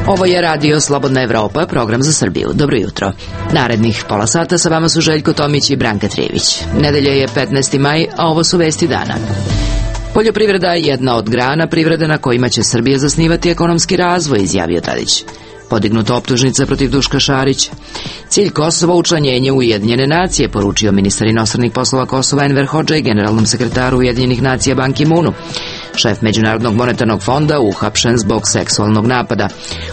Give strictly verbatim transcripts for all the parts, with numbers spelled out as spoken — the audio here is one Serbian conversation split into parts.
Ovo je Radio Slobodna Evropa, program za Srbiju. Dobro jutro. Narednih pola sata sa vama su Željko Tomić i Branka Trijević. Nedelja je petnaesti maj, a ovo su vesti dana. Poljoprivreda je jedna od grana privrede na kojima će Srbija zasnivati ekonomski razvoj, izjavio Tadić. Podignuta optužnica protiv Duška Šarića. Cilj Kosova učlanjenje u Ujedinjene nacije, poručio ministar inostranih poslova Kosova Enver Hodžaj generalnom sekretaru Ujedinjenih nacija Ban Ki-moonu. Šef Međunarodnog monetarnog fonda uhapšen zbog seksualnog napada.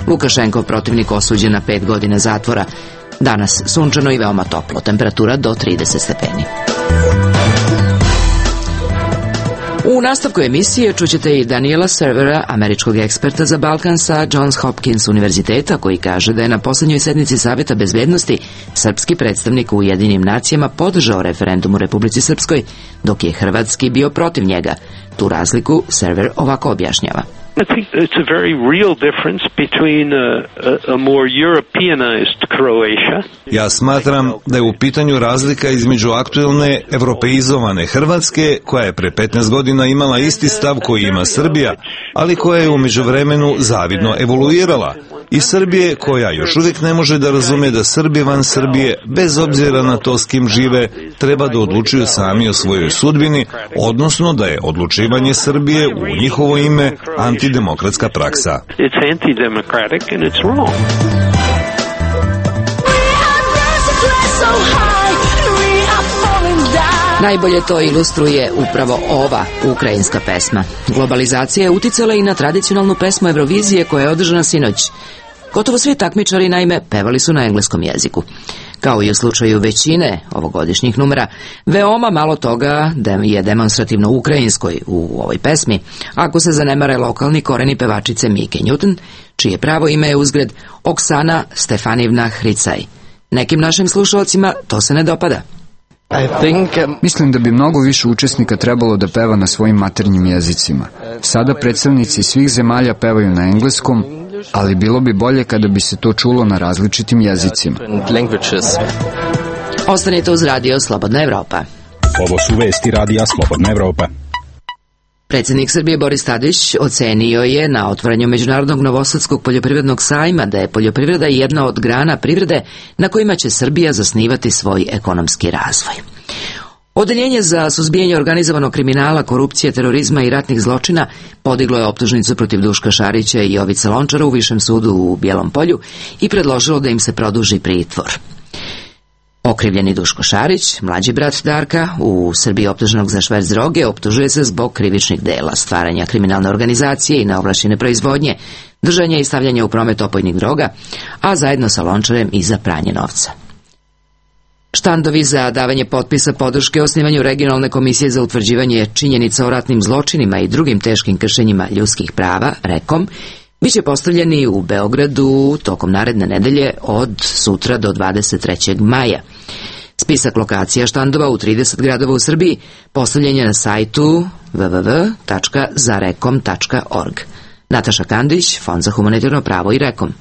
Lukašenkov protivnik osuđen na pet godina zatvora. Danas sunčano i veoma toplo, temperatura do trideset stepeni. U nastavku emisije čućete i Daniela Servera, američkog eksperta za Balkan sa Johns Hopkins univerziteta, koji kaže da je na posljednjoj sednici Savjeta bezbednosti srpski predstavnik u Ujedinjenim nacijama podržao referendum u Republici Srpskoj, dok je hrvatski bio protiv njega. Tu razliku Server ovako objašnjava. I think it's a very real difference between a, a, a more Europeanized Croatia. Ja smatram da je u pitanju razlika između aktuelne evropeizovane Hrvatske, koja je pre petnaest godina imala isti stav koji ima Srbija, ali koja je u međuvremenu zavidno evoluirala, i Srbije koja još uvijek ne može da razume da Srbi van Srbije, bez obzira na to s kim žive, treba da odlučuju sami o svojoj sudbini, odnosno da je odlučivanje Srbije u njihovo ime antidemokratska praksa. It's antidemocratic and it's wrong. Najbolje to ilustruje upravo ova ukrajinska pesma. Globalizacija je uticala i na tradicionalnu pesmu Eurovizije koja je održana sinoć. Gotovo svi takmičari, naime, pevali su na engleskom jeziku. Kao i u slučaju većine ovogodišnjih numera, veoma malo toga je demonstrativno ukrajinskoj u ovoj pesmi, ako se zanemare lokalni koreni pevačice Mike Newton, čije pravo ime je uzgred Oksana Stefanivna Hricaj. Nekim našim slušalcima to se ne dopada. Mislim da bi mnogo više učesnika trebalo da peva na svojim maternjim jezicima. Sada predstavnici svih zemalja pevaju na engleskom, ali bilo bi bolje kada bi se to čulo na različitim jezicima. Ostanite uz Radio Slobodna Evropa. Ovo su vesti Radija Slobodna Evropa. Predsjednik Srbije Boris Tadić ocenio je na otvaranju Međunarodnog novosadskog poljoprivrednog sajma da je poljoprivreda jedna od grana privrede na kojima će Srbija zasnivati svoj ekonomski razvoj. Odeljenje za suzbijanje organizovanog kriminala, korupcije, terorizma i ratnih zločina podiglo je optužnicu protiv Duška Šarića i Jovice Lončara u Višem sudu u Bijelom Polju i predložilo da im se produži pritvor. Okrivljeni Duško Šarić, mlađi brat Darka, u Srbiji optuženog za šverc droge, optužuje se zbog krivičnih dela, stvaranja kriminalne organizacije i neovlašćene proizvodnje, držanja i stavljanja u promet opojnih droga, a zajedno sa Lončarem i za pranje novca. Štandovi za davanje potpisa podrške osnivanju regionalne komisije za utvrđivanje činjenica o ratnim zločinima i drugim teškim kršenjima ljudskih prava, rekom, biće postavljeni u Beogradu tokom naredne nedelje od sutra do dvadeset trećeg maja. Spisak lokacija štandova u trideset gradova u Srbiji postavljen je na sajtu w w w tačka zarekom tačka org. Nataša Kandić, Fond za humanitarno pravo i Rekom.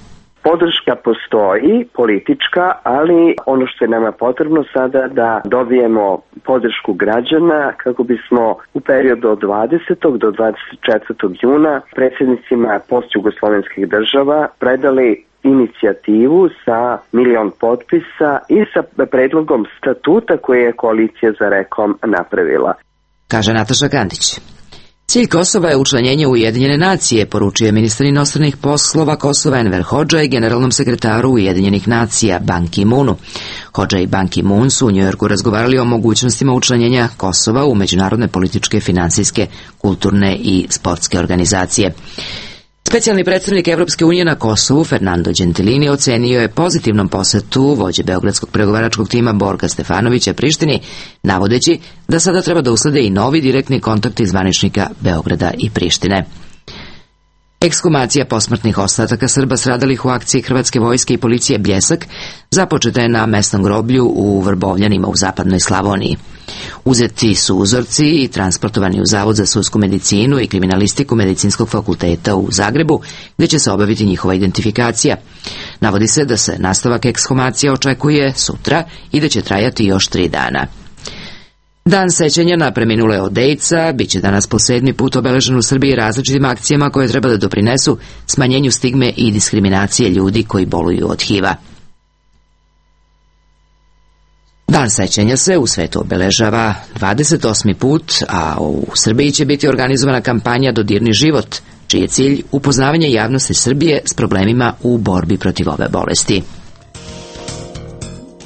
Podrška postoji, politička, ali ono što je nama potrebno sada da dobijemo podršku građana kako bismo u periodu od dvadesetog do dvadeset četvrtog juna predsjednicima postjugoslovenskih država predali inicijativu sa milion potpisa i sa predlogom statuta koje je koalicija za Rekom napravila. Kaže Nataša Kandić. Cilj Kosova je učlanjenje u Ujedinjene nacije, poručuje ministar inostranih poslova Kosova Enver Hodžaj generalnom sekretaru Ujedinjenih nacija Ban Ki-moonu. Hodžaj i Ban Ki-moon su u Njujorku razgovarali o mogućnostima učlanjenja Kosova u međunarodne političke, finansijske, kulturne i sportske organizacije. Specijalni predstavnik Evropske unije na Kosovu, Fernando Gentilini, ocenio je pozitivnom posetu vođe beogradskog pregovaračkog tima Borka Stefanovića Prištini, navodeći da sada treba da uslede i novi direktni kontakti zvaničnika Beograda i Prištine. Ekshumacija posmrtnih ostataka Srba stradalih u akciji Hrvatske vojske i policije Bljesak započeta je na mesnom groblju u Vrbovljanima u zapadnoj Slavoniji. Uzeti su uzorci i transportovani u Zavod za sudsku medicinu i kriminalistiku Medicinskog fakulteta u Zagrebu, gdje će se obaviti njihova identifikacija. Navodi se da se nastavak ekshumacija očekuje sutra i da će trajati još tri dana. Dan sećanja na preminule od AIDS-a biće danas po sedmi put obeležen u Srbiji različitim akcijama koje treba da doprinesu smanjenju stigme i diskriminacije ljudi koji boluju od H I V-a. Dan sećanja se u svetu obeležava dvadeset osmi put, a u Srbiji će biti organizovana kampanja Dodirni život, čiji je cilj upoznavanje javnosti Srbije s problemima u borbi protiv ove bolesti.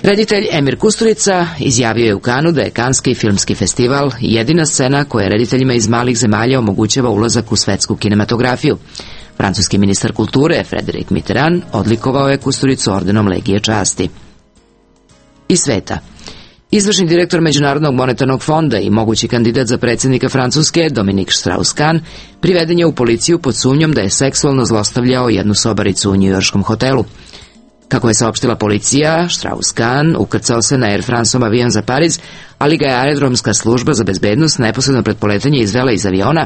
Reditelj Emir Kusturica izjavio je u Kanu da je Kanski filmski festival jedina scena koja rediteljima iz malih zemalja omogućava ulazak u svetsku kinematografiju. Francuski ministar kulture Frédéric Mitterrand odlikovao je Kusturicu ordenom Legije časti. Iz sveta. Izvršni direktor Međunarodnog monetarnog fonda i mogući kandidat za predsjednika Francuske, Dominique Strauss-Kahn, priveden je u policiju pod sumnjom da je seksualno zlostavljao jednu sobaricu u njujorškom hotelu. Kako je saopštila policija, Strauss-Kahn ukrcao se na Air Franceom avion za Pariz, ali ga je aerodromska služba za bezbednost neposredno pred poletanje izvela iz aviona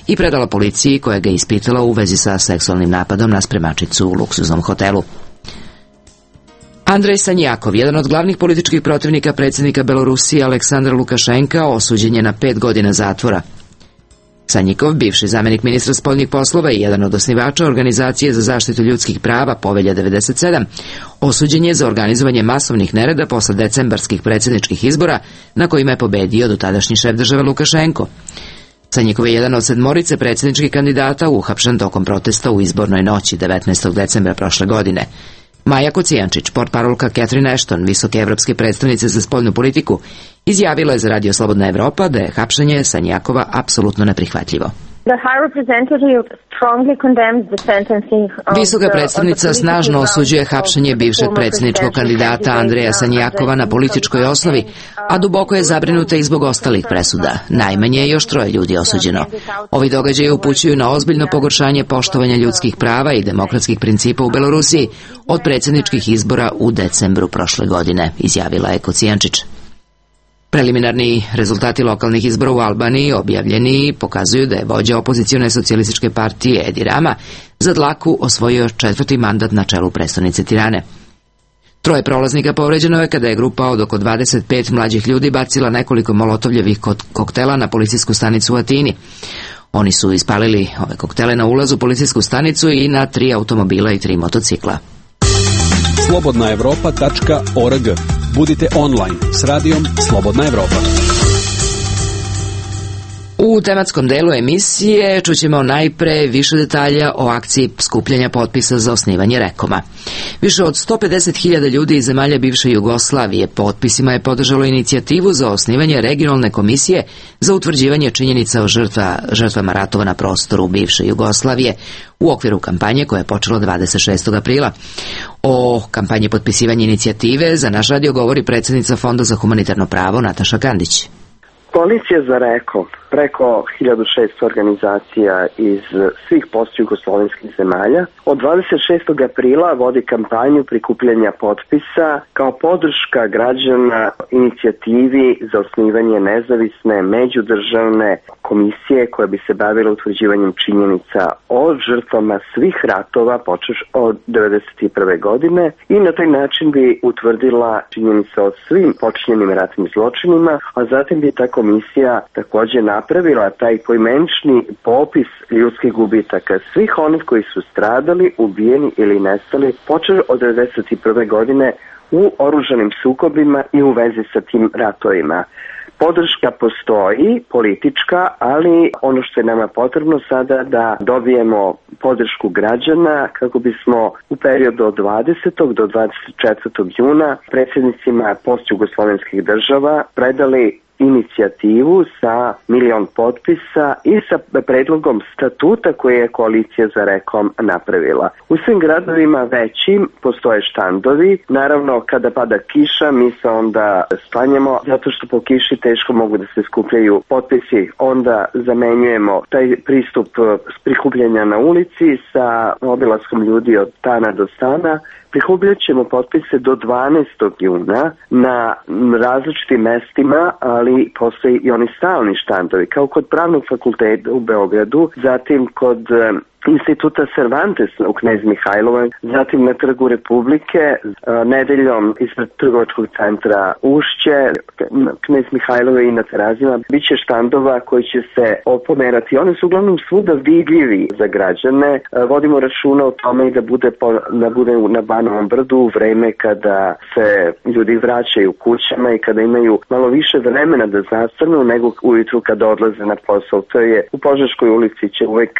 i predala policiji koja ga je ispitala u vezi sa seksualnim napadom na spremačicu u luksuznom hotelu. Andrej Sanjakov, jedan od glavnih političkih protivnika predsjednika Belorusije Aleksandra Lukašenka, osuđen je na pet godina zatvora. Sanjikov, bivši zamjenik ministra spoljnih poslova i jedan od osnivača Organizacije za zaštitu ljudskih prava Povelja devedeset sedam, osuđen je za organizovanje masovnih nereda posle decembarskih predsjedničkih izbora na kojima je pobedio dotadašnji šef države Lukašenko. Sanjikov je jedan od sedmorice predsjedničkih kandidata uhapšen tokom protesta u izbornoj noći devetnaestog decembra prošle godine. Maja Kocijančić, portparolka Catherine Ashton, visoke evropske predstavnice za spoljnu politiku, izjavila je za Radio Slobodna Evropa da je hapšenje Sanjakova apsolutno neprihvatljivo. Visoka predstavnica snažno osuđuje hapšenje bivšeg predsjedničkog kandidata Andreja Sanjakova na političkoj osnovi, a duboko je zabrinuta i zbog ostalih presuda. Najmanje je još troje ljudi osuđeno. Ovi događaji upućuju na ozbiljno pogoršanje poštovanja ljudskih prava i demokratskih principa u Belorusiji od predsjedničkih izbora u decembru prošle godine, izjavila je Kocijančić. Preliminarni rezultati lokalnih izbora u Albaniji objavljeni pokazuju da je vođa opozicione socijalističke partije Edi Rama za dlaku osvojio četvrti mandat na čelu prestonice Tirane. Troje prolaznika povređeno je kada je grupa od oko dvadeset pet mlađih ljudi bacila nekoliko molotovljevih koktela na policijsku stanicu u Atini. Oni su ispalili ove koktele na ulazu u policijsku stanicu i na tri automobila i tri motocikla. slobodna evropa tačka org. Budite online s radijom Slobodna Evropa. U tematskom delu emisije čućemo najpre više detalja o akciji skupljanja potpisa za osnivanje Rekoma. Više od sto pedeset hiljada ljudi iz zemalja bivše Jugoslavije potpisima je podržalo inicijativu za osnivanje regionalne komisije za utvrđivanje činjenica o žrtva, žrtvama ratova na prostoru bivše Jugoslavije u okviru kampanje koja je počela dvadeset šestog aprila. O kampanji potpisivanja inicijative za naš radio govori predsjednica Fonda za humanitarno pravo Nataša Kandić. Koalicija za Reko, preko hiljadu šesto organizacija iz svih postjugoslovenskih zemalja, od dvadeset šestog aprila vodi kampanju prikupljanja potpisa kao podrška građana inicijativi za osnivanje nezavisne međudržavne komisije koja bi se bavila utvrđivanjem činjenica o žrtvama svih ratova počeš od devedeset prve godine i na taj način bi utvrdila činjenice o svim počinjenim ratnim zločinima, a zatim bi ta komisija također napravila taj poimenični popis ljudskih gubitaka svih onih koji su stradali, ubijeni ili nestali počeš od devedeset prve godine u oružanim sukobima i u vezi sa tim ratovima. Podrška postoji, politička, ali ono što je nama potrebno sada da dobijemo podršku građana kako bismo u periodu od dvadesetog do dvadeset četvrtog juna predsjednicima postjugoslovenskih država predali inicijativu sa milion potpisa i sa predlogom statuta koje je koalicija za Rekom napravila. U svim gradovima većim postoje štandovi. Naravno, kada pada kiša, mi se onda sklanjamo, zato što po kiši teško mogu da se skupljaju potpisi. Onda zamenjujemo taj pristup prikupljanja na ulici sa obilaskom ljudi od stana do stana. Prikupljat ćemo potpise do dvanaestog juna na različitim mestima, ali postoji i oni stalni štandovi, kao kod Pravnog fakulteta u Beogradu, zatim kod Instituta Cervantes u Knez Mihajlovoj, zatim na Trgu Republike, nedeljom ispred trgovačkog centra Ušće, Knez Mihajlove i na Terazima, biće štandova koji će se opomerati. One su uglavnom svuda vidljivi za građane. Vodimo računa o tome i da bude, po, da bude na Banovom brdu u vreme kada se ljudi vraćaju kućama i kada imaju malo više vremena da zastanu nego ujutru kada odlaze na posao. To je u Požeškoj ulici će uvek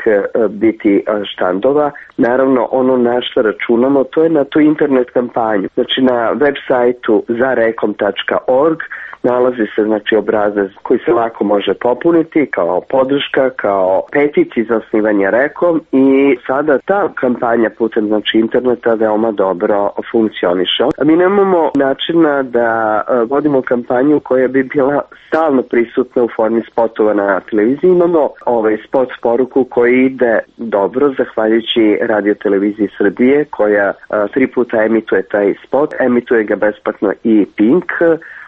biti štandova. Naravno, ono na što računamo, to je na tu internet kampanju. Znači, na web sajtu zarekom tačka org nalazi se, znači, obrazac koji se lako može popuniti kao podrška, kao petici za osnivanje Rekom i sada ta kampanja putem, znači, interneta veoma dobro funkcioniše. Mi nemamo načina da vodimo kampanju koja bi bila stalno prisutna u formi spotova na televiziji. Imamo ovaj spot poruku koji ide dobro, zahvaljujući Radio televiziji Srbije, koja a, tri puta emituje taj spot, emituje ga besplatno i Pink.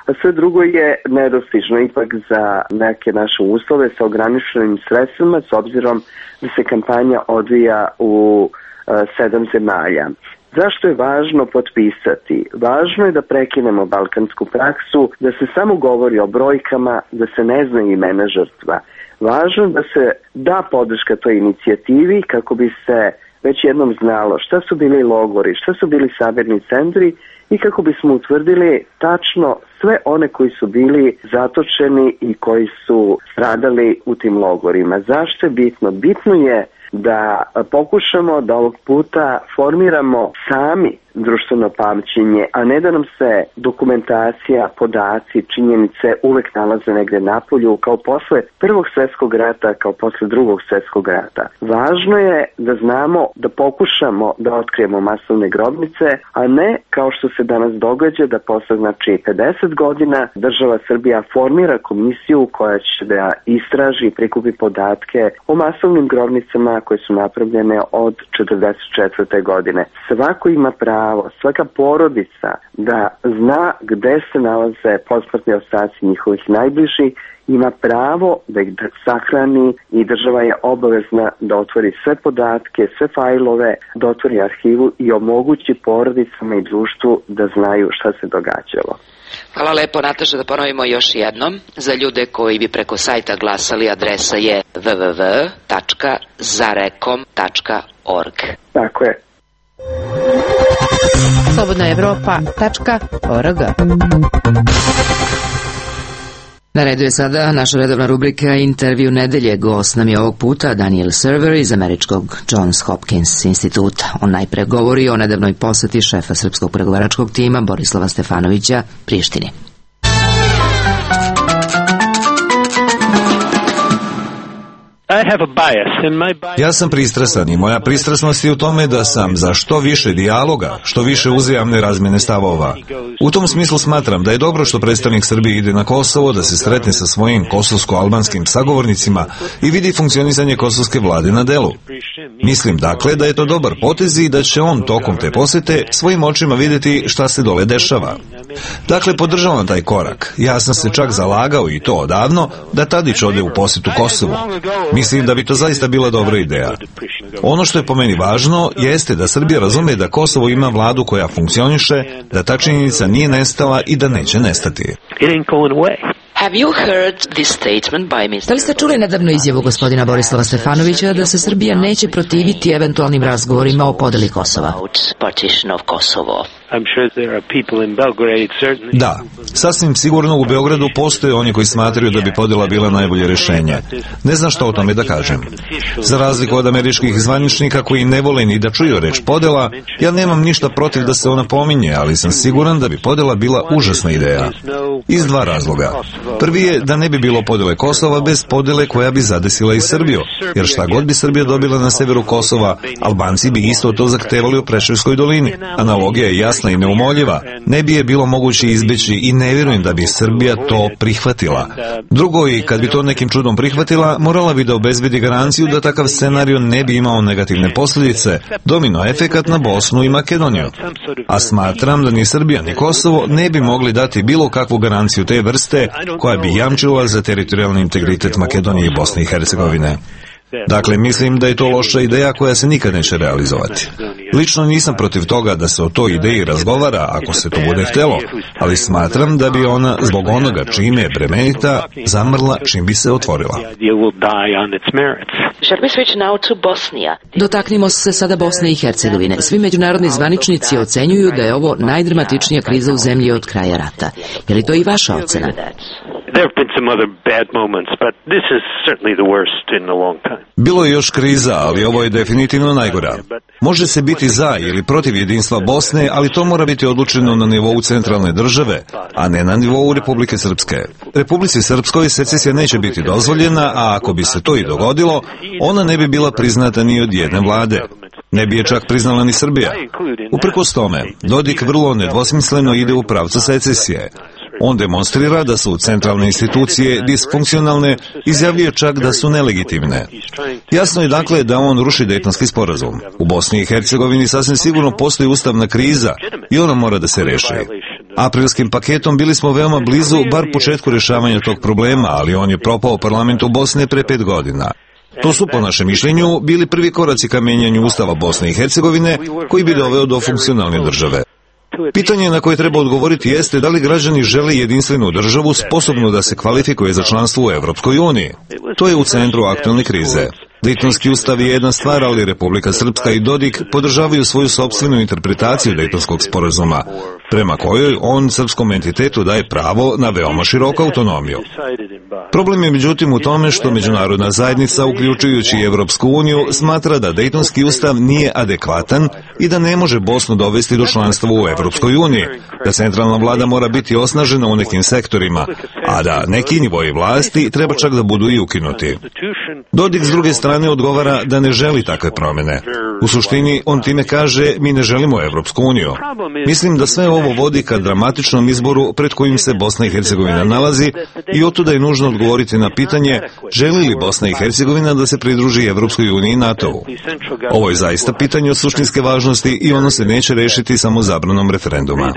A sve drugo je nedostižno ipak za neke naše uslove sa ograničenim sredstvima, s obzirom da se kampanja odvija u a, sedam zemalja. Zašto je važno potpisati? Važno je da prekinemo balkansku praksu, da se samo govori o brojkama, da se ne zna imena žrtva. Važno je da se da podrška toj inicijativi kako bi se već jednom znalo šta su bili logori, šta su bili sabirni centri i kako bismo utvrdili tačno sve one koji su bili zatočeni i koji su stradali u tim logorima. Zašto je bitno? Bitno je da pokušamo da ovog puta formiramo sami društveno pamćenje, a ne da nam se dokumentacija, podaci, činjenice uvek nalaze negde napolju, kao posle Prvog svjetskog rata, kao posle Drugog svjetskog rata. Važno je da znamo, da pokušamo da otkrijemo masovne grobnice, a ne kao što se danas događa da posle, znači, pedeset godina država Srbija formira komisiju koja će da istraži i prikupi podatke o masovnim grobnicama koje su napravljene od četrdeset četvrte godine. Svako ima pravo, svaka porodica da zna gde se nalaze posmrtni ostaci njihovih najbližih, ima pravo da ih sahrani i država je obavezna da otvori sve podatke, sve fajlove, da otvori arhivu i omogući porodicama i društvu da znaju šta se događalo. Hvala lepo, Nataša, da ponovimo još jednom. Za ljude koji bi preko sajta glasali, adresa je w w w tačka zarekom tačka org. Tako je. slobodna evropa tačka org. Na redu je sada naša redovna rubrika Intervju nedelje. Gost nam je ovog puta Daniel Server iz američkog Johns Hopkins instituta. On najpre govori o nedavnoj poseti šefa srpskog pregovaračkog tima Borislava Stefanovića Prištini. Ja sam pristrasan i moja pristrasnost je u tome da sam za što više dijaloga, što više uzajamne razmjene stavova. U tom smislu smatram da je dobro što predstavnik Srbije ide na Kosovo, da se sretne sa svojim kosovsko-albanskim sagovornicima i vidi funkcionisanje kosovske vlade na delu. Mislim dakle da je to dobar potez i da će on tokom te posete svojim očima vidjeti šta se dole dešava. Dakle, podržavam taj korak. Ja sam se čak zalagao i to odavno da Tadić ode u posjetu Kosovu. Mislim da bi to zaista bila dobra ideja. Ono što je po meni važno jeste da Srbija razume da Kosovo ima vladu koja funkcioniše, da ta činjenica nije nestala i da neće nestati. Have you heard this statement by mister Da li ste čuli nedavnu izjavu gospodina Borislava Stefanovića da se Srbija neće protiviti eventualnim razgovorima o podeli Kosova? Da, sasvim sigurno u Beogradu postoje oni koji smatraju da bi podela bila najbolje rješenje. Ne znam što o tome da kažem. Za razliku od američkih zvaničnika koji ne vole ni da čuju reč podela, ja nemam ništa protiv da se ona pominje, ali sam siguran da bi podela bila užasna ideja. Iz dva razloga. Prvi je da ne bi bilo podele Kosova bez podele koja bi zadesila i Srbiju, jer šta god bi Srbija dobila na severu Kosova, Albanci bi isto to zahtevali u Preševskoj dolini. Analogija je jasna i neumoljiva, ne bi je bilo moguće izbeći i ne vjerujem da bi Srbija to prihvatila. Drugo, i kad bi to nekim čudom prihvatila, morala bi da obezbedi garanciju da takav scenario ne bi imao negativne posljedice, domino efekat na Bosnu i Makedoniju. A smatram da ni Srbija ni Kosovo ne bi mogli dati bilo kakvu garanciju te vrste koja bi jamčila za teritorijalni integritet Makedonije i Bosne i Hercegovine. Dakle, mislim da je to loša ideja koja se nikad neće realizovati. Lično nisam protiv toga da se o toj ideji razgovara ako se to bude htelo, ali smatram da bi ona, zbog onoga čime je bremenita, zamrla čim bi se otvorila. Dotaknimo se sada Bosne i Hercegovine. Svi međunarodni zvaničnici ocenjuju da je ovo najdramatičnija kriza u zemlji od kraja rata. Je li to i vaša ocena? Bilo je još kriza, ali ovo je definitivno najgora. Može se biti za ili protiv jedinstva Bosne, ali to mora biti odlučeno na nivou centralne države, a ne na nivou Republike Srpske. Republici Srpskoj secesija neće biti dozvoljena, a ako bi se to i dogodilo, ona ne bi bila priznata ni od jedne vlade. Ne bi je čak priznala ni Srbija. Uprkos tome, Dodik vrlo nedvosmisleno ide u pravcu secesije. On demonstrira da su centralne institucije disfunkcionalne, izjavljuje čak da su nelegitimne. Jasno je dakle da on ruši Dejtonski sporazum. U Bosni i Hercegovini sasvim sigurno postoji ustavna kriza i ona mora da se reši. Aprilskim paketom bili smo veoma blizu bar početku rješavanja tog problema, ali on je propao parlamentu Bosne pre pet godina. To su, po našem mišljenju, bili prvi koraci ka menjanju Ustava Bosne i Hercegovine, koji bi doveo do funkcionalne države. Pitanje na koje treba odgovoriti jeste da li građani žele jedinstvenu državu sposobnu da se kvalifikuje za članstvo u Evropskoj uniji. To je u centru aktualne krize. Dejtonski ustav je jedna stvar, ali Republika Srpska i Dodik podržavaju svoju sopstvenu interpretaciju Dejtonskog sporazuma, prema kojoj on srpskom entitetu daje pravo na veoma široku autonomiju. Problem je međutim u tome što međunarodna zajednica, uključujući i Evropsku uniju, smatra da Dejtonski ustav nije adekvatan i da ne može Bosnu dovesti do članstva u Evropskoj uniji, da centralna vlada mora biti osnažena u nekim sektorima, a da neki nivoji vlasti treba čak da budu i ukinuti. Dodik s druge strane odgovara da ne želi takve promjene. U suštini, on time kaže, mi ne želimo Evropsku uniju. Mislim da sve ovo vodi ka dramatičnom izboru pred kojim se Bosna i Hercegovina nalazi i otuda je nužno odgovoriti na pitanje želi li Bosna i Hercegovina da se pridruži Evropskoj uniji i NATO-u. Ovo je zaista pitanje od suštinske važnosti i ono se neće rešiti samo zabranom referenduma.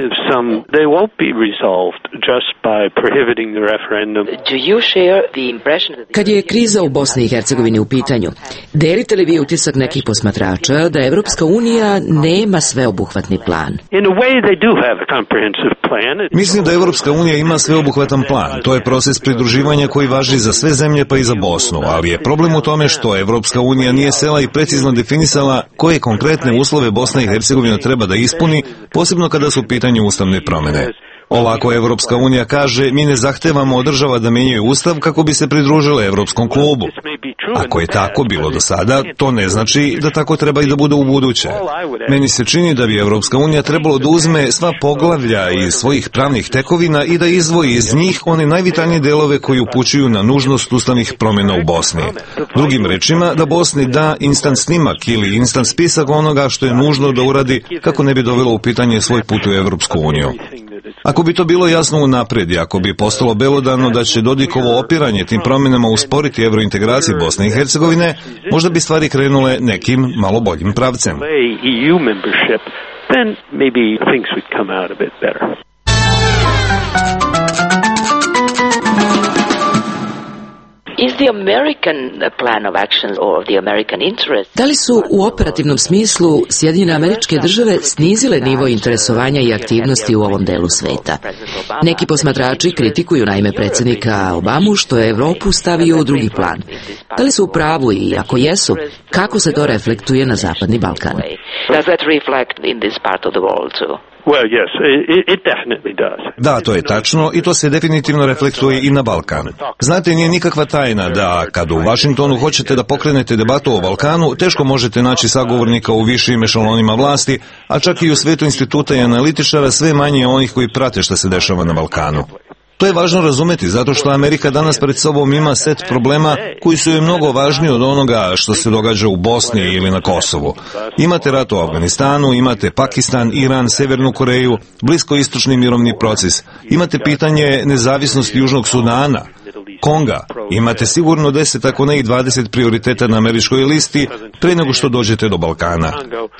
Kad je kriza u Bosni i Hercegovini u pitanju, delite li vi utisak nekih posmatrača da Evropska unija nema sveobuhvatni plan? Mislim da Evropska unija ima sveobuhvatan plan. To je proces pridruživanja koji važi za sve zemlje pa i za Bosnu, ali je problem u tome što Evropska unija nije sela i precizno definisala koje konkretne uslove Bosna i Hercegovina treba da ispuni, posebno kada su u pitanju ustavne promjene. Ovako Evropska unija kaže, mi ne zahtevamo od država da menjaju ustav kako bi se pridružile Evropskom klubu. Ako je tako bilo do sada, to ne znači da tako treba i da bude u buduće. Meni se čini da bi Evropska unija trebalo da uzme sva poglavlja iz svojih pravnih tekovina i da izdvoji iz njih one najvitalnije delove koji upućuju na nužnost ustavnih promjena u Bosni. Drugim rečima, da Bosni da instant snimak ili instant spisak onoga što je nužno da uradi kako ne bi dovelo u pitanje svoj put u Evropsku uniju. Ako bi to bilo jasno unaprijed i ako bi postalo belodano da će Dodikovo opiranje tim promjenama usporiti evrointegraciju Bosne i Hercegovine, možda bi stvari krenule nekim malo boljim pravcem. Da li su u operativnom smislu Sjedinjene Američke Države snizile nivo interesovanja i aktivnosti u ovom delu sveta? Neki posmatrači kritikuju naime predsjednika Obamu što je Evropu stavio u drugi plan. Da li su u pravu i ako jesu, kako se to reflektuje na Zapadni Balkan? Da, to je tačno i to se definitivno reflektuje i na Balkan. Znate, nije nikakva tajna da kad u Vašingtonu hoćete da pokrenete debatu o Balkanu, teško možete naći sagovornika u višim ešalonima vlasti, a čak i u svetu instituta i analitičara sve manje onih koji prate šta se dešava na Balkanu. To je važno razumeti zato što Amerika danas pred sobom ima set problema koji su joj mnogo važniji od onoga što se događa u Bosni ili na Kosovu. Imate rat u Afganistanu, imate Pakistan, Iran, Severnu Koreju, bliskoistočni mirovni proces, imate pitanje nezavisnosti Južnog Sudana, Konga, imate sigurno deset, ako ne i dvadeset prioriteta na američkoj listi pre nego što dođete do Balkana.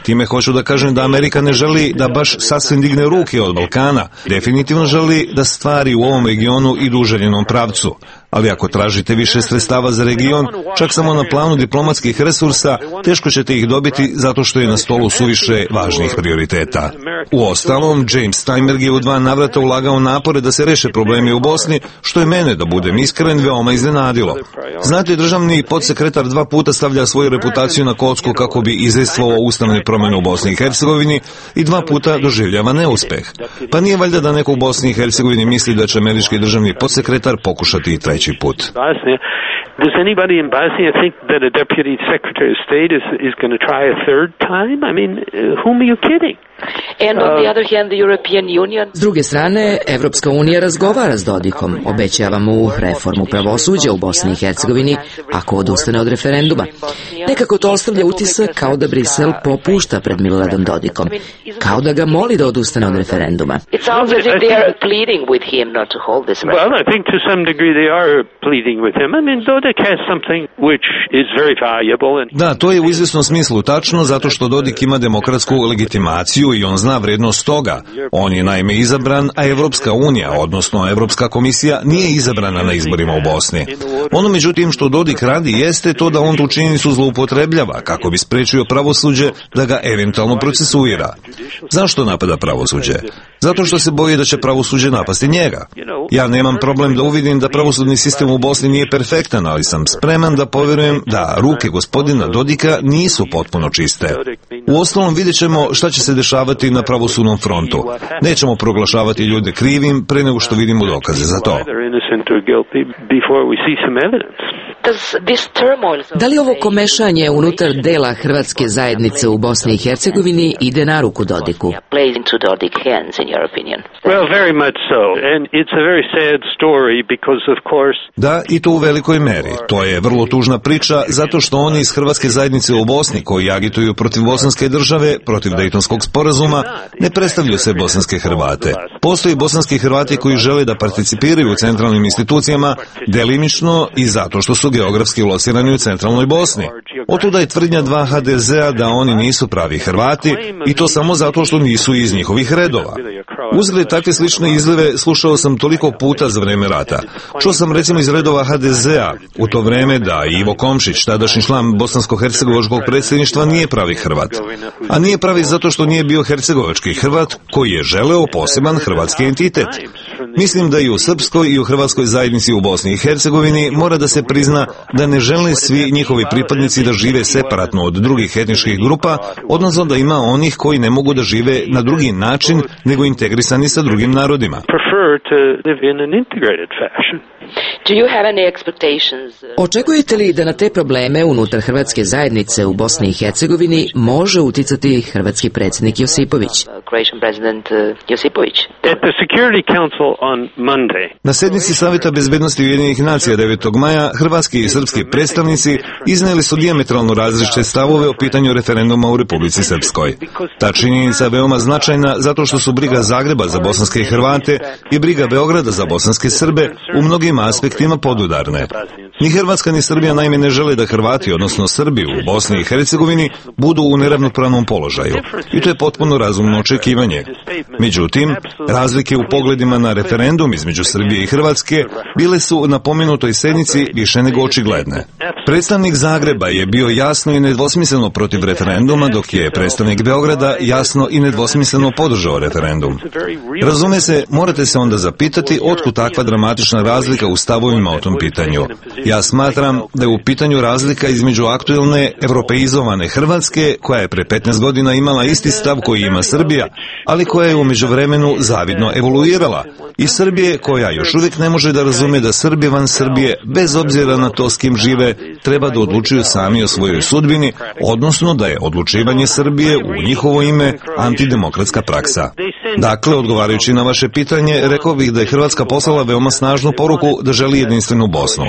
Time hoću da kažem da Amerika ne želi da baš sasvim digne ruke od Balkana, definitivno želi da stvari u ovom regionu idu u željenom pravcu, Ali ako tražite više sredstava za region, čak samo na planu diplomatskih resursa, teško ćete ih dobiti zato što je na stolu suviše važnih prioriteta. Uostalom, James Steinberg je u dva navrata ulagao napore da se reše problemi u Bosni, što je mene, da budem iskren, veoma iznenadilo. Znate, državni podsekretar dva puta stavlja svoju reputaciju na kocku kako bi izejstvovao ustavne promjene u Bosni i Hercegovini i dva puta doživljava neuspeh. Pa nije valjda da neko u Bosni i Hercegovini misli da će američki državni podsekretar pokušati i treći put. Does anybody in Bosnia think that a deputy secretary of state is is going to try a third time? I mean, uh, whom are you kidding? And on the other hand, the European Union... S druge strane, Evropska unija razgovara s Dodikom, obećava mu reformu pravosuđa u Bosni i Hercegovini ako odustane od referenduma. Nekako to ostavlja utisak kao da Brisel popušta pred Miloradom Dodikom, kao da ga moli da odustane od referenduma. It sounds as if they are pleading with him not to hold this referendum. Well, I think to some degree they are pleading with him. I mean, Dodik has something which is very valuable. And... Da, to je u izvjesnom smislu tačno, zato što Dodik ima demokratsku legitimaciju i on zna vrednost toga. On je naime izabran, a Evropska unija, odnosno Evropska komisija, nije izabrana na izborima u Bosni. Ono međutim što Dodik radi jeste to da on tu činjenicu zloupotrebljava kako bi sprečio pravosuđe da ga eventualno procesuira. Zašto napada pravosuđe? Zato što se boji da će pravosuđe napasti njega. Ja nemam problem da uvidim da pravosudni sistem u Bosni nije perfektan, ali sam spreman da povjerujem da ruke gospodina Dodika nisu potpuno čiste. Uostalom vidjet ćemo šta će se dešavati na pravosudnom frontu. Nećemo proglašavati ljude krivim pre nego što vidimo dokaze za to. Da li ovo komešanje unutar dela hrvatske zajednice u Bosni i Hercegovini ide na ruku Dodiku? Da, i to u velikoj meri. To je vrlo tužna priča zato što oni iz hrvatske zajednice u Bosni koji agituju protiv bosanske države, protiv Dejtonskog sporazuma, ne predstavljaju se bosanske Hrvate. Postoji bosanski Hrvati koji žele da participiraju u centralnim institucijama delimično i zato što su geografski locirani u centralnoj Bosni. Otuda je tvrdnja dva ha de zea da oni nisu pravi Hrvati i to samo zato što nisu iz njihovih redova. Uzgled takve slične izlive slušao sam toliko puta za vreme rata. Čuo sam recimo iz redova ha de zea u to vreme da Ivo Komšić, tadašnji član bosansko-hercegovačkog predsjedništva, nije pravi Hrvat. A nije pravi zato što nije bio hercegovački Hrvat koji je želeo poseban hrvatski entitet. Mislim da i u srpskoj i u hrvatskoj zajednici u Bosni i Hercegovini mora da se prizna da ne žele svi njihovi pripadnici da žive separatno od drugih etničkih grupa, odnosno da ima onih koji ne mogu da žive na drugi način nego integrisani sa drugim narodima. Očekujete li da na te probleme unutar hrvatske zajednice u Bosni i Hercegovini može uticati hrvatski predsjednik Josipović? Na sednici Saveta bezbednosti Ujedinjenih nacija devetog maja hrvatski i srpski predstavnici iznijeli su dijametralno različite stavove o pitanju referenduma u Republici Srpskoj. Ta činjenica je veoma značajna zato što su briga Zagreba za bosanske Hrvate i briga Beograda za bosanske Srbe u mnogim aspektima podudarne. Ni Hrvatska ni Srbija naime ne žele da Hrvati, odnosno Srbi u Bosni i Hercegovini, budu u neravnopravnom položaju. I to je potpuno razumno očekivanje. Međutim, razlike u pogledima na referendum između Srbije i Hrvatske bile su na pomenutoj sednici više nego očigledne. Predstavnik Zagreba je bio jasno i nedvosmisleno protiv referenduma, dok je predstavnik Beograda jasno i nedvosmisleno podržao referendum. Razume se, morate se onda zapitati otkud takva dramatična razlika u stavovima o tom pitanju. Ja smatram da je u pitanju razlika između aktuelne evropeizovane Hrvatske, koja je pre petnaest godina imala isti stav koji ima Srbija, ali koja je u međuvremenu zavidno evoluirala, i Srbije koja još uvijek ne može da razume da Srbi van Srbije, bez obzira na to s kim žive, treba da odlučuju sami o svojoj sudbini, odnosno da je odlučivanje Srbije u njihovo ime antidemokratska praksa. Dakle, odgovarajući na vaše pitanje, rekao bih da je Hrvatska poslala veoma snažnu poruku da želi jedinstvenu Bosnu.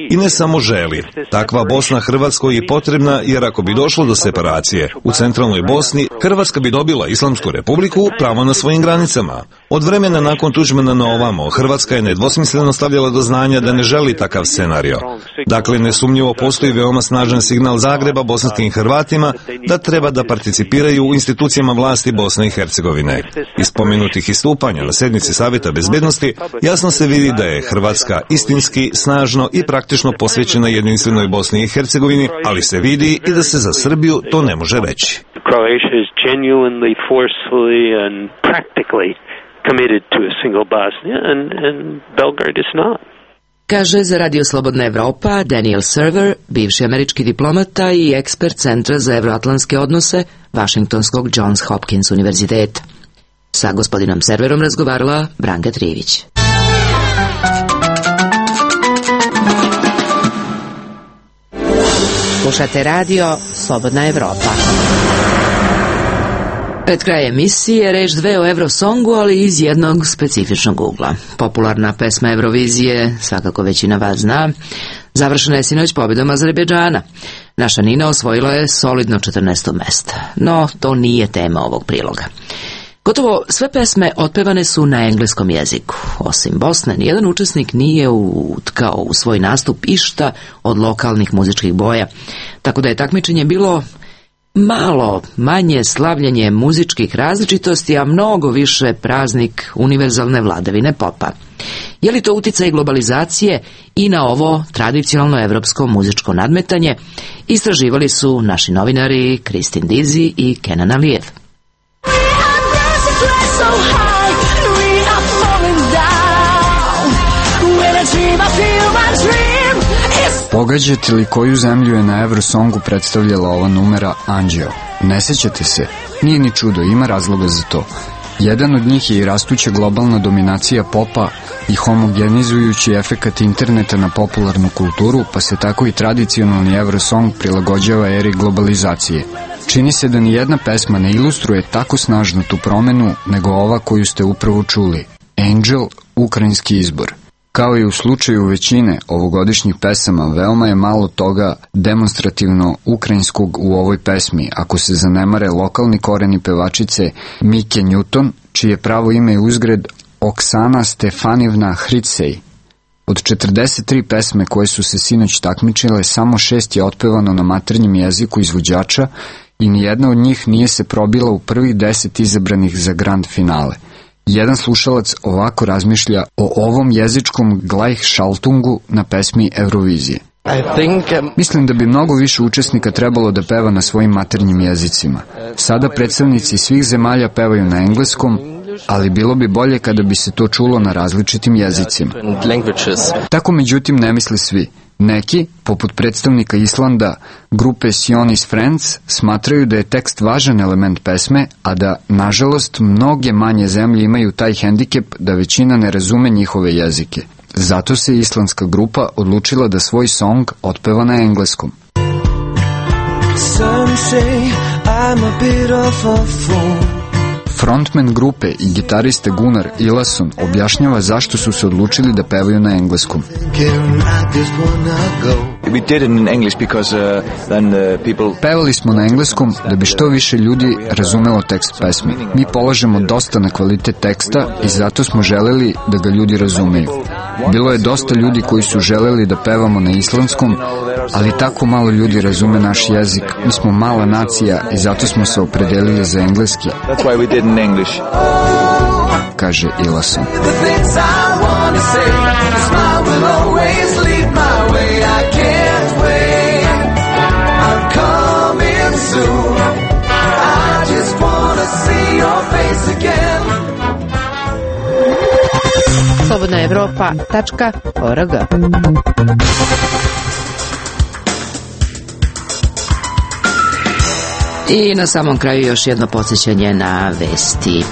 I ne samo želi. Takva Bosna Hrvatskoj je potrebna, jer ako bi došlo do separacije u centralnoj Bosni, Hrvatska bi dobila Islamsku republiku pravo na svojim granicama. Od vremena nakon Tuđmana na ovamo, Hrvatska je nedvosmisleno stavljala do znanja da ne želi takav scenario. Dakle, nesumnjivo postoji veoma snažan signal Zagreba bosanskim Hrvatima da treba da participiraju u institucijama vlasti Bosne i Hercegovine. Iz spomenutih istupanja na sednici Savjeta bezbednosti jasno se vidi da je Hrvatska istinski, snažno i praktično posvećena jedinstvenoj Bosni i Hercegovini, ali se vidi i da se za Srbiju to ne može reći. Croatia is genuinely, forcefully and practically committed to a single Bosnia, and, and Belgrade is not. Kaže za Radio Slobodna Evropa Daniel Server, bivši američki diplomata i ekspert Centra za evroatlantske odnose Vašingtonskog Johns Hopkins univerziteta. Sa gospodinom Serverom razgovarala Branka Trivić. Slušate Radio Slobodna Evropa. Pred kraj emisije reč dve o Eurosongu, ali iz jednog specifičnog ugla. Popularna pesma Eurovizije, svakako većina vas zna, završena je sinoć pobjedom Azerbejdžana. Naša Nina osvojila je solidno četrnaesto mesto, no to nije tema ovog priloga. Gotovo sve pesme otpevane su na engleskom jeziku. Osim Bosne, nijedan učesnik nije utkao u svoj nastup išta od lokalnih muzičkih boja, tako da je takmičenje bilo malo manje slavljenje muzičkih različitosti, a mnogo više praznik univerzalne vladavine popa. Je li to uticaj globalizacije i na ovo tradicionalno evropsko muzičko nadmetanje? Istraživali su naši novinari Kristin Dizi i Kenan Alijev. Pogađate li koju zemlju je na Eurosongu predstavljala ova numera Anđeo? Ne sećate se? Nije ni čudo, ima razloga za to. Jedan od njih je i rastuća globalna dominacija popa i homogenizujući efekat interneta na popularnu kulturu, pa se tako i tradicionalni Eurosong prilagođava eri globalizacije. Čini se da ni jedna pesma ne ilustruje tako snažno tu promenu nego ova koju ste upravo čuli. Angel, ukrajinski izbor. Kao i u slučaju većine ovogodišnjih pesama, veoma je malo toga demonstrativno ukrajinskog u ovoj pesmi, ako se zanemare lokalni koreni pevačice Mike Newton, čije pravo ime je uzgred Oksana Stefanivna Hritsej. Od četrdeset tri pesme koje su se sinoć takmičile, samo šest je otpevano na maternjem jeziku izvođača i nijedna od njih nije se probila u prvih deset izabranih za grand finale. Jedan slušalac ovako razmišlja o ovom jezičkom Gleichschaltungu na pesmi Eurovizije. Mislim da bi mnogo više učesnika trebalo da peva na svojim maternjim jezicima. Sada predstavnici svih zemalja pevaju na engleskom, ali bilo bi bolje kada bi se to čulo na različitim jezicima. Tako međutim ne misle svi. Neki, poput predstavnika Islanda, grupe Sionis Friends, smatraju da je tekst važan element pesme, a da, nažalost, mnoge manje zemlje imaju taj hendikep da većina ne razume njihove jezike. Zato se islandska grupa odlučila da svoj song otpeva na engleskom. Frontman grupe i gitariste Gunnar Ilason objašnjava zašto su se odlučili da pevaju na engleskom. Pevali smo na engleskom da bi što više ljudi razumelo tekst pesmi. Mi polažemo dosta na kvalitet teksta i zato smo želeli da ga ljudi razumeju. Bilo je dosta ljudi koji su želeli da pevamo na islandskom, ali tako malo ljudi razume naš jezik. Mi smo mala nacija i zato smo se opredelili za engleski. Kaže Ilason. slobodna evropa tačka org. I na samom kraju još jedno podsjećanje na vesti.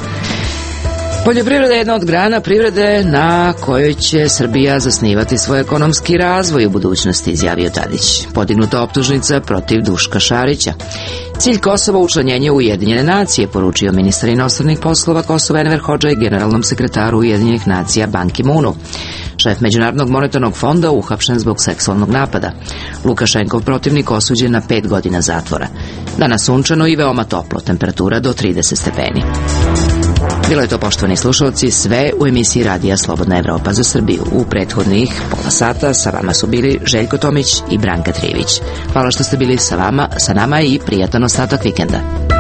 Poljoprivreda je jedna od grana privrede na kojoj će Srbija zasnivati svoj ekonomski razvoj u budućnosti, izjavio Tadić. Podignuta optužnica protiv Duška Šarića. Cilj Kosova učlanjenje u Ujedinjene nacije, poručio ministar inostranih poslova Kosova Enver Hodža i generalnom sekretaru Ujedinjenih nacija Ban Ki-moonu. Šef Međunarodnog monetarnog fonda uhapšen zbog seksualnog napada. Lukašenkov protivnik osuđen na pet godina zatvora. Danas sunčano i veoma toplo, temperatura do trideset stepeni. Bilo je to, poštovani slušalci, sve u emisiji Radija Slobodna Evropa za Srbiju. U prethodnih pola sata sa vama su bili Željko Tomić i Branka Trivić. Hvala što ste bili sa vama, sa nama i prijatan ostatak vikenda.